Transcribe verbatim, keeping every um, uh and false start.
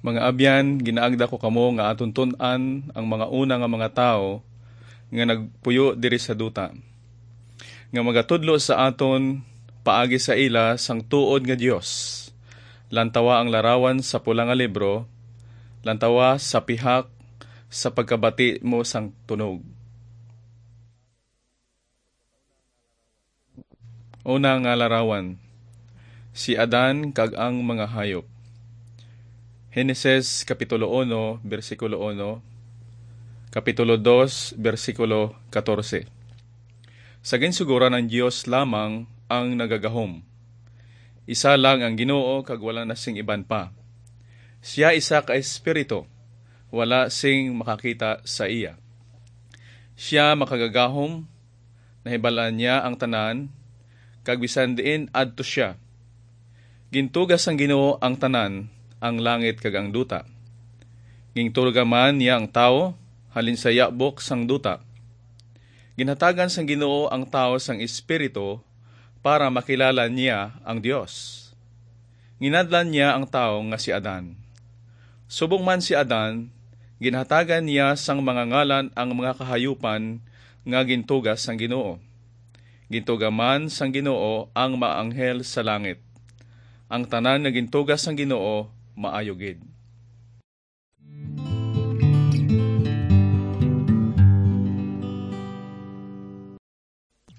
Mga abyan, ginaagda ko kamo nga aton tun-an ang mga una nga mga tawo nga nagpuyo diri sa duta, nga magatudlo sa aton paagi sa ila sang tuod nga Dios. Lantawa ang larawan sa pula nga libro, lantawa sa pihak sa pagkabati mo sang tunog. Una nga larawan, si Adan kag ang mga hayop. Henesis Kapitulo uno, bersikulo uno, Kapitulo dos, bersikulo katorse. Sa ginsugoran, ang Dios lamang ang nagagahom. Isa lang ang Ginoo kag wala na sing iban pa. Sia isa ka espiritu, wala sing makakita sa iya. Sia makagagahom, nahibal-an niya ang tanan, kag bisan diin adto sia. Gintuga sang Ginoo ang tanan, ang langit kag ang duta. Gintuga man niya ang tawo halin sa yabok sang duta. Ginhatagan sang Ginoo ang tawo sang espiritu para makilala niya ang Dios. Ginadlan niya ang tawo nga si Adan. Subong man si Adan, ginhatagan niya sang mga ngalan ang mga kahayupan nga gintuga sang Ginoo. Gintuga man sang Ginoo ang mga anghel sa langit. Ang tanan nga gintuga sang Ginoo maayo gid.